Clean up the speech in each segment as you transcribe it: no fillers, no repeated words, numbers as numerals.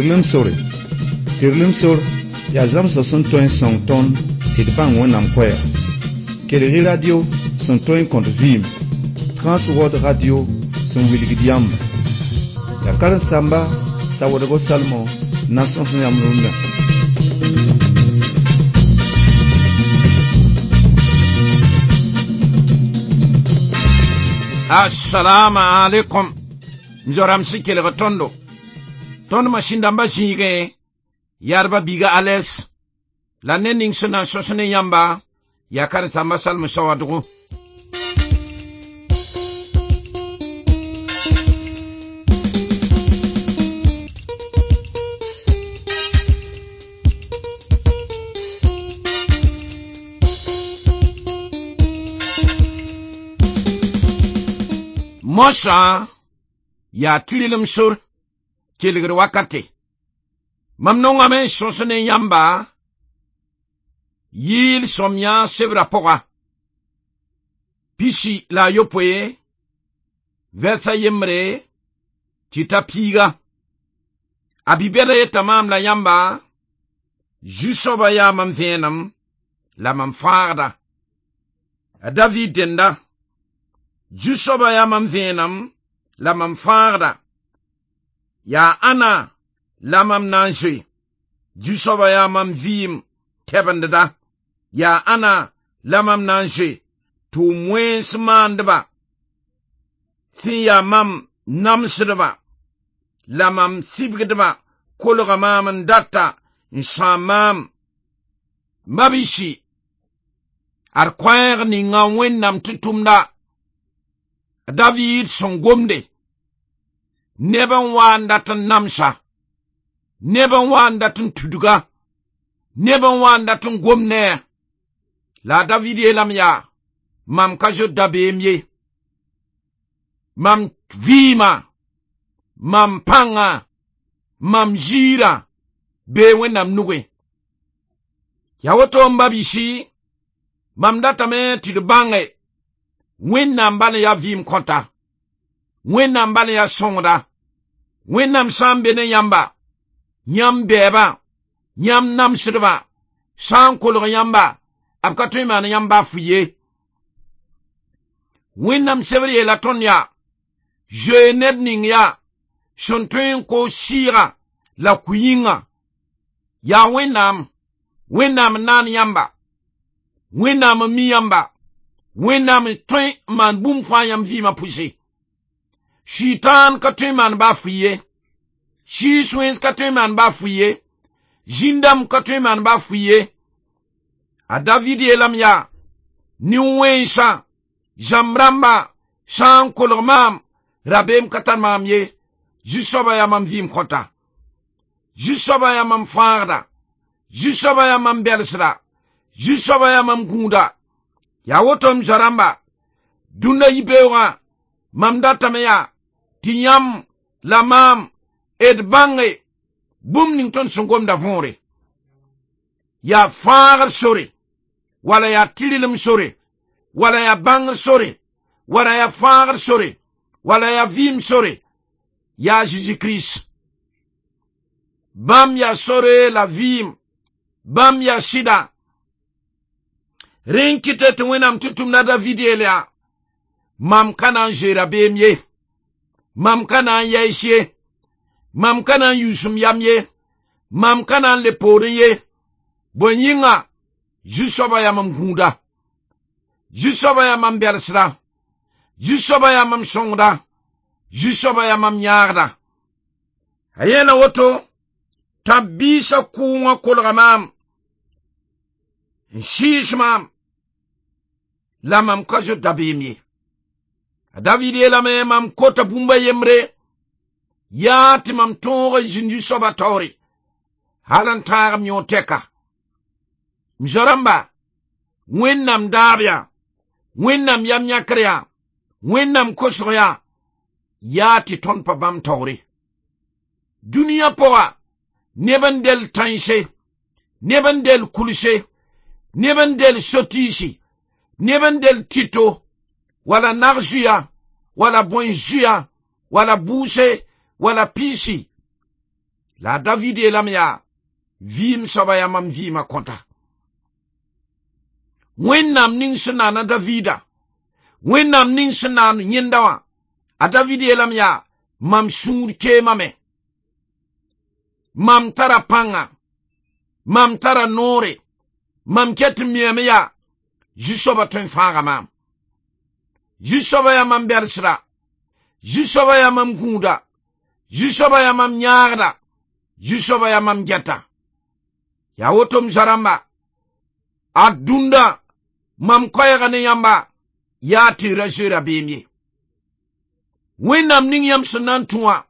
Tɩrlem sore. Tɩrlem sor yaa zãmsg sẽn tõe n sõng tõnd tɩ d bãng Wẽnnaam koɛɛga. Kelg-y radio sẽn tõe n kõt vɩɩm, Transworld Radio sẽn wilgd yãmba. Yaa karen-saamba Sawadgo Salmon n na n sõs yãmb rũndã. Assalamu alaikum. M zoram sẽn kelg tõndo. Tõnd masĩn-dãmbã zĩigẽ, yarba biiga ales la ned ning sẽn na n sõs ne yãmba yaa karen-saamba Salmon Sawadgo. Moasã yaa tɩrlem sor kelgd wakate. Mam nongame n sõs ne yãmba yɩɩl sõmyã sebrã pʋga. 61 vɛrsa yembre tɩ ta piiga. A bi-bɛda yeta maam la yãmba, Zu-soabã yaa mam vẽenem la mam fãagda. A David dẽnda, Zu-soabã yaa mam vẽenem la mam fãagda. Yaa ãna la mam na n zoe. Zu-soabã yaa mam vɩɩm tɛbendda. Yaa ãna la mam na n zoe. Tʋʋm-wẽns maandba sẽn yaa mam namsdba la mam sibgdba kolga maam n data n sãam maam. Mabisi, ad koɛɛg ninga Wẽnnaam tɩ tʋmda. A David sẽn gomde, neb n wa n dat n namsa, neb n wa n dat n tudga, neb n wa n dat n gom ne a. La a David yeelame yaa, mam ka zoet dabeem ye. Mam vɩɩma, mam pãnga, mam ziirã bee Wẽnnaam nugẽ. Yaa woto n ba bisi, mam datame tɩ d bãnge Wẽnnaam bal n yaa vɩɩm kõta, Wẽnnaam bal n yaa sõngda, Wẽnnaam sã n be ne yãmba, yãmb bɛɛbã, yãmb namsdbã, sã n kolg yãmba, b ka tõe n maan yãmb baa fʋ ye. Wẽnnaam sebr yeela tõnd yaa, zoe ned ning yaa, sẽn tõe n koos sɩɩgã la ku-yĩngã. Yaa Wẽnnaam, Wẽnnaam n naan yãmba, Wẽnnaam n mi yãmba, Wẽnnaam n tõe n maan bũmb fãa yãmb vɩɩmã pʋse. Sʋɩtãan ka tõe n maan baa fʋ ye, sɩɩs wẽns ka tõe n maan baa fʋ ye, zĩn-dãmb ka tõe n maan baa fʋ ye. A David yeelame yaa, nin-wẽnsã, zãmb rãmba sã n kolg maam, rabeem ka tar maam ye. Zu-soabã yaa mam vɩɩm kõta, Zu-soabã yaa mam fãagda, Zu-soabã yaa mam bɛlsda, Zu-soabã yaa mam gũuda. Yaa woto m zoa-rãmba, dũnna yibeoogã mam datame yaa tɩ yãmb la maam d bãnge bũmb ning tõnd sẽn gomda võore. Yaa fãagr sore, wala yaa tɩrlem sore, wala yaa bãngr sore, wala yaa fãagr sore, wala yaa vɩɩm sore, yaa Zeezi Kirist. Bãmb yaa sore la vɩɩm, bãmb yaa sɩda. Rẽ n kɩtɛ tɩ Wẽnnaam tɩ tʋmda David yeel yaa, mam ka na n zoe rabeem ye, mam ka na n yɛɛs ye, mam ka na n yuusem yam ye, mam ka na n le poorẽ ye. Bõe yĩnga, Zu-soabã yaa mam gũuda, Zu-soabã yaa mam bɛlsda, Zu-soabã yaa mam sõngda, Zu-soabã yaa mam yãagda. A yeela woto, tãb-biisã kʋʋngã kolga maam, n sɩɩs maam, la mam ka zoet dabeem ye. A David yeelame mam kota bũmb a yembre, yaa tɩ mam tõog n zĩnd Zu-soabã taoore, hal n tãag m yõod tɛka. M zoa-rãmba, Wẽnnaam daab yaa, Wẽnnaam yam yãkr yaa, Wẽnnaam kosg yaa, yaa tɩ tõnd pa bãmb taoore. Dũniyã pʋga, neb n del tãense, neb n del kulse, neb n del sotiisi, neb n del tito, wala nag-zuya, wala bõe-zuya, wala buuse, wala piisi. La David yeelame yaa vɩɩm soaba yaa mam vɩɩmã kõta. Wẽnnaam ning sẽn naana Davida, Wẽnnaam ning sẽn naan yẽnda wã, a David yeelame yaa mam sũur keemame, mam tara pãnga, mam tara noore, mam ket n miame yaa Zu-soabã tõe n fãaga maam. Zu-soabã yaa mam bɛlsda, Zu-soabã yaa mam gũuda, Zu-soabã yaa mam yãagda, Zu-soabã yaa mam gɛta. Yaa woto m zoa-rãmba, a dũnda mam koɛɛga ne yãmba yaa tɩ ra zoe rabeem ye. Wẽnnaam ning yãmb sẽn na n tũ wã,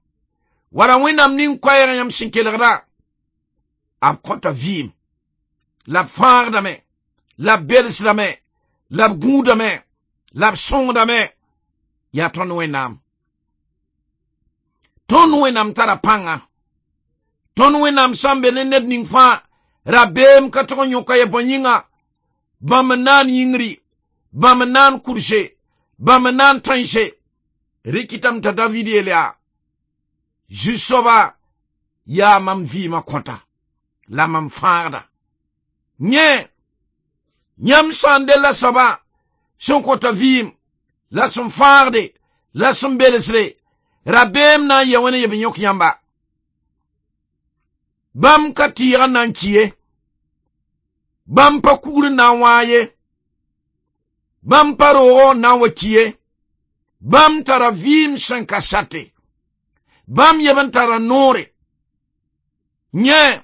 wala Wẽnnaam ning koɛɛg yãmb sẽn kelgda, b kõta vɩɩm, la b fãagdame, la b belsdame, la b gũudame, la b sõngdame, yaa tõnd Wẽnnaam. Tõnd Wẽnnaam tara pãnga. Tõnd Wẽnnaam sã n be ne ned ning fãa, rabeem ka tog n yõka ye bõe yĩnga, bãmb n naan yĩngri, bãmb n naan kurse, bãmb n naan tõense. Rɩkɩtame t'a David yeel yaa, Zu-soaba yaa mam vɩɩmã kõta, la mam fãagda. Yẽ, yãmb sã n della soaba sẽn kõta vɩɩm, la sẽn fãagde, la sẽn belsde, rabeem na n yɛ wẽne yeb n yõk yãmba. Bãmb ka tɩɩg n na n ki ye, bãmb pa kugr n na n wãa ye, bãmb pa roogɔ n na n wa ki ye, bãmb tara vɩɩm sẽn ka sate, bãmb yeb n tara noore. Yẽ,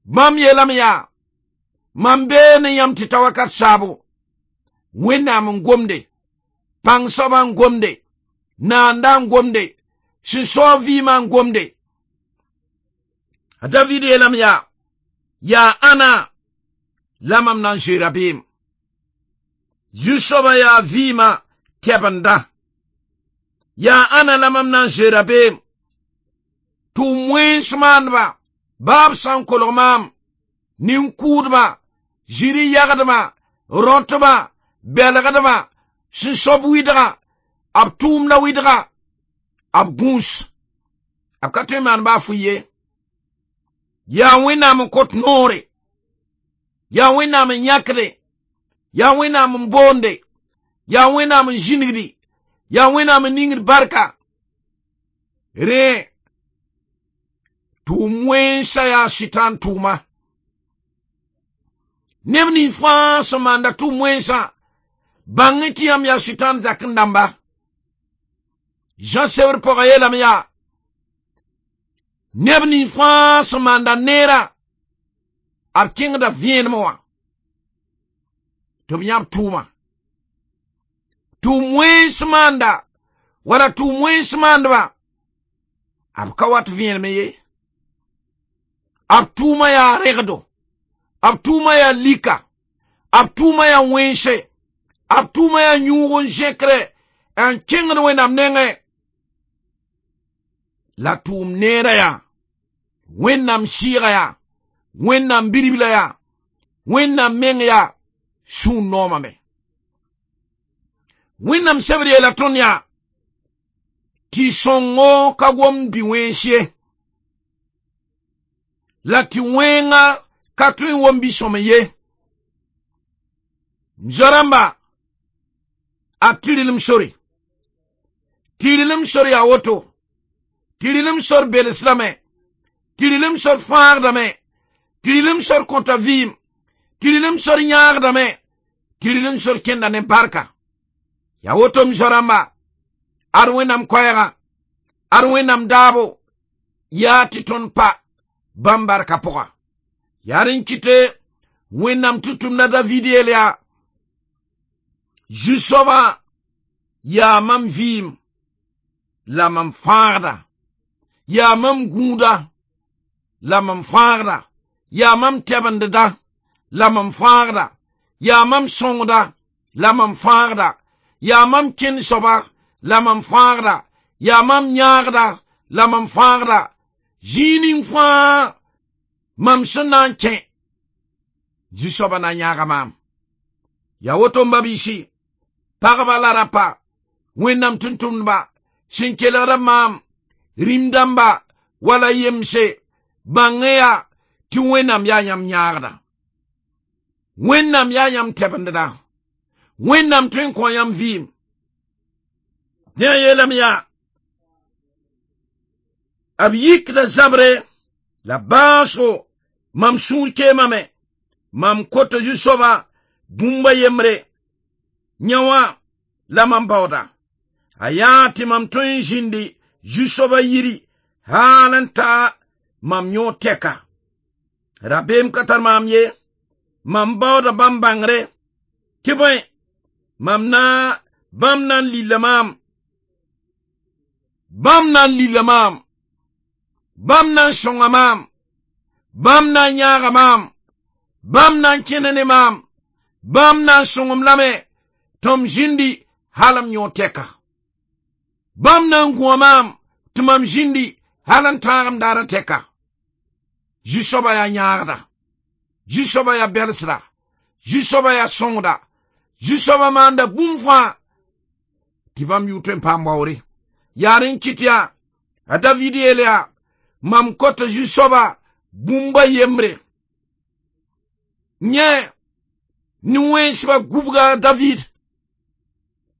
bãmb yeelame yaa, mam bee ne yãmb tɩ ta wakat saabo, Wẽnnaam n gomde, pãng soabã n gomde, naanda n gomde, sẽn saoog vɩɩmã n gomde. A David yeelame yaa, yaa ãna la mam na n zoe rabeem. Zu-soabã yaa vɩɩmã tɛbenda. Yaa ãna la mam na n zoe rabeem. Tʋʋm wẽns maandba, baa b sã n kolg maam, nin-kʋʋdba, zĩri yagdba, rõtba, belgdba, sẽn sob wɩdga, b tʋʋmda wɩdga, b gũus. B ka tõe n maan baa fʋɩ ye. Yaa Wẽnnaam n kõt noore, yaa Wẽnnaam n yãkde, yaa Wẽnnaam n boonde, yaa Wẽnnaam n zĩnigdi, yaa Wẽnnaam n ningd barka. Rẽ, tʋʋm wẽnsa yaa sɩtãan tʋʋma. Neb nins fãa sẽn maanda tʋʋm wẽnsã, bãng tɩ yãmb yaa sɩtãan zak n dãmba. Jean sebr pʋgã yeelame yaa, neb nins fãa sẽn maanda neerã, b kẽngda vẽenem wã tɩ b yãb tʋʋma. Tʋʋm wẽns maanda wala tʋʋm wẽns maandbã, b ka wat vẽenem ye. B tʋʋma yaa rẽgdo, b tʋʋma yaa lika, b tʋʋma yaa wẽnse, b tʋʋma yaa yũug n zẽkre n kẽngd Wẽnnaam nengẽ. La tʋʋm neerã yaa Wẽnnaam sɩɩga yaa, Wẽnnaam biribla yaa, Wẽnnaam meng yaa sũur noomame. Wẽnnaam sebr yeela tõnd yaa tɩ sõngo ka gomd bɩ wẽns ye, la tɩ wẽnga ka tõe n wom bɩ-sõm ye. M zoa-rãmba, a tɩrlem sore. Tɩrlem sor yaa woto. Tɩrlem sor belsdame, tɩrlem sor fãagdame, tɩrlem sor kõta vɩɩm, tɩrlem sor yãagdame, tɩrlem sor kẽnda ne barka. Yaa woto m zoa-rãmba, ad Wẽnnaam koɛɛgã, ad Wẽnnaam daabo, yaa tɩ tõnd pa bãmb barka pʋga. Yaa rẽn kɩte Wẽnnaam tʋm-tʋmda David yeel yaa, Zu-soabã yaa mam vɩɩm, la mam fãagda, yaa mam gũuda, la mam fãagda, yaa mam tɛbendda, la mam fãagda, yaa mam sõngda, la mam fãagda, yaa mam kẽnd soaba, la mam fãagda, yaa mam yãagda, la mam fãagda. Zĩig ning fãa mam sẽn na n kẽ, Zu-soabã na n yãaga maam. Yaa woto m ba-biisi, pagba la rapa, Wẽnnaam tʋm-tʋmdba, sẽn kelgda maam, rĩm dãmba wala yemse, Bãng yaa tɩ Wẽnnaam yaa yãmb yãagda, Wẽnnaam yaa yãmb tɛbendda, Wẽnnaam tõe n kõ yãmb vɩɩm. Dẽ a yeelame yaa b yikda zabre la baasgo mam sũur keemame, mam kota zu-soaba bũmba yembre yã wã la mam baooda. A yaa tɩ mam tõe n zĩndi zu-soaba yiri haal n ta mam yõod tɛka. Rabeem ka tar maam ye, mam baooda bãmb bãngre, tɩ bõe mam na bãmb na n lilla maam, bãmb na n lilla maam, bãmb na n sõnga maam, bãmb na n yãaga maam, bãmb na n kẽna ne maam, bãmb na n sõngem lame tɩ m zĩndi hal m yõod tɛka. Bãmb na n gũa maam tɩ mam zĩndi hal n tãag m daarã tɛka. Zu-soaba yaa yãagda, zu-soaba yaa bɛlsda, zu-soaba yaa sõngda, zu-soaba maanda bũmb fãa tɩ bãmb yʋʋr tõe n paam waoore. Yaa rẽ n kɩt yaa a David yeel yaa mam kota zu-soaba bũmba yembre. Yẽ ne-wẽnsbã gubga David,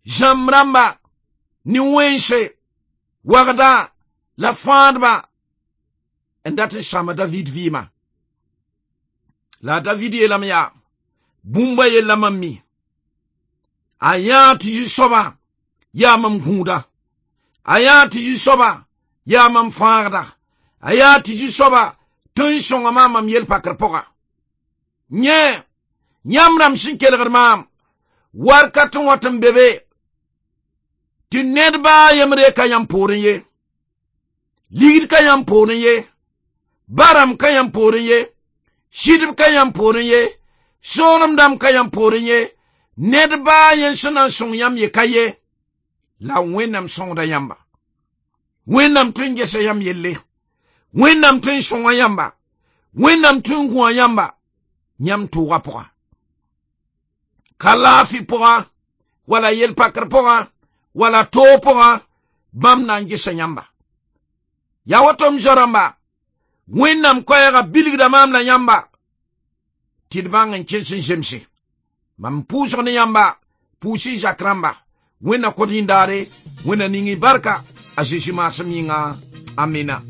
zãmb rãmba, ne-wẽnse, wagda la fãadba n dat n sãama David vɩɩmã. La a David yeelame yaa bũmba yella mam mi. A yãa tɩ zu-soaba yaa mam gũuda, a yãa tɩ zu-soaba yaa mam fãagda, a yaa tɩ zu-soaba tõe n sõnga maam mam yel-pakr pʋga. Yẽ yãmb rãmb sẽn kelgd maam warkat n wat n be be tɩ ned baa yembre ka yãmb poorẽ ye, ligd ka yãmb poorẽ ye, baram ka yãmb poorẽ ye, sɩdb ka yãmb poorẽ ye, soolem dãmb ka yãmb poorẽ ye, ned baa yẽ sẽn na n sõng yãmb ye ka ye, la Wẽnnaam sõngda yãmba. Wẽnnaam tõe n gesa yãmb yelle, Wẽnnaam tõe n sõnga yãmba, Wẽnnaam tõe n gũa yãmba yãmb tʋʋga pʋga. Ka laafɩ pʋga, wala yel-pakr pʋga, wala toog pʋga, bãmb na n gesa yãmba. Yaa woto m zoa-rãmba, Wẽnnaam koɛɛga bilgda maam la yãmba tɩ d bãng n kẽns n zemse. Mam pʋʋsg ne yãmba, pʋʋs y zak rãmba. Wẽnna kõt yĩndaare, Wẽnna ning y barka, a Zeezi maasem yĩnga. Amina.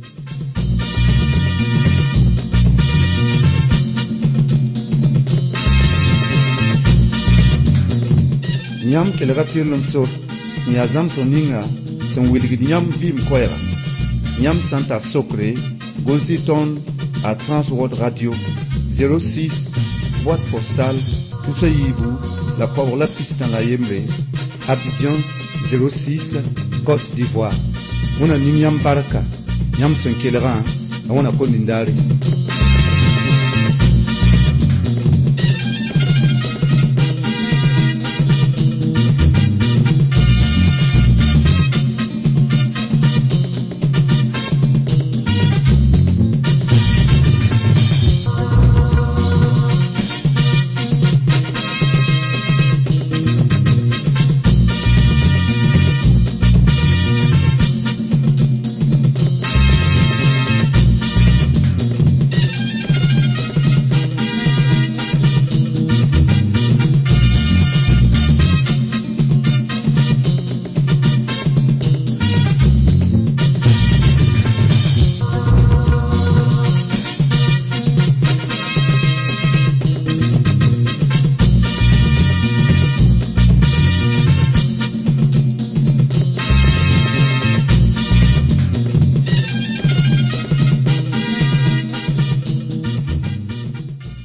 Yãmb kelga tɩrlem sor sẽn yaa zãmsg ninga sẽn wilgd yãmb vɩɩm koɛɛga. Yãmb sã n tar sokre, gõs-y tõnd a Transworld Radio 06 boîte postale tusa yiibu la koabg la pistã la yembre, Abidjan 06, Côte d'Ivoire. Wẽnna ning yãmb barka yãmb sẽn kelgã, la wẽnna kõt nindaare.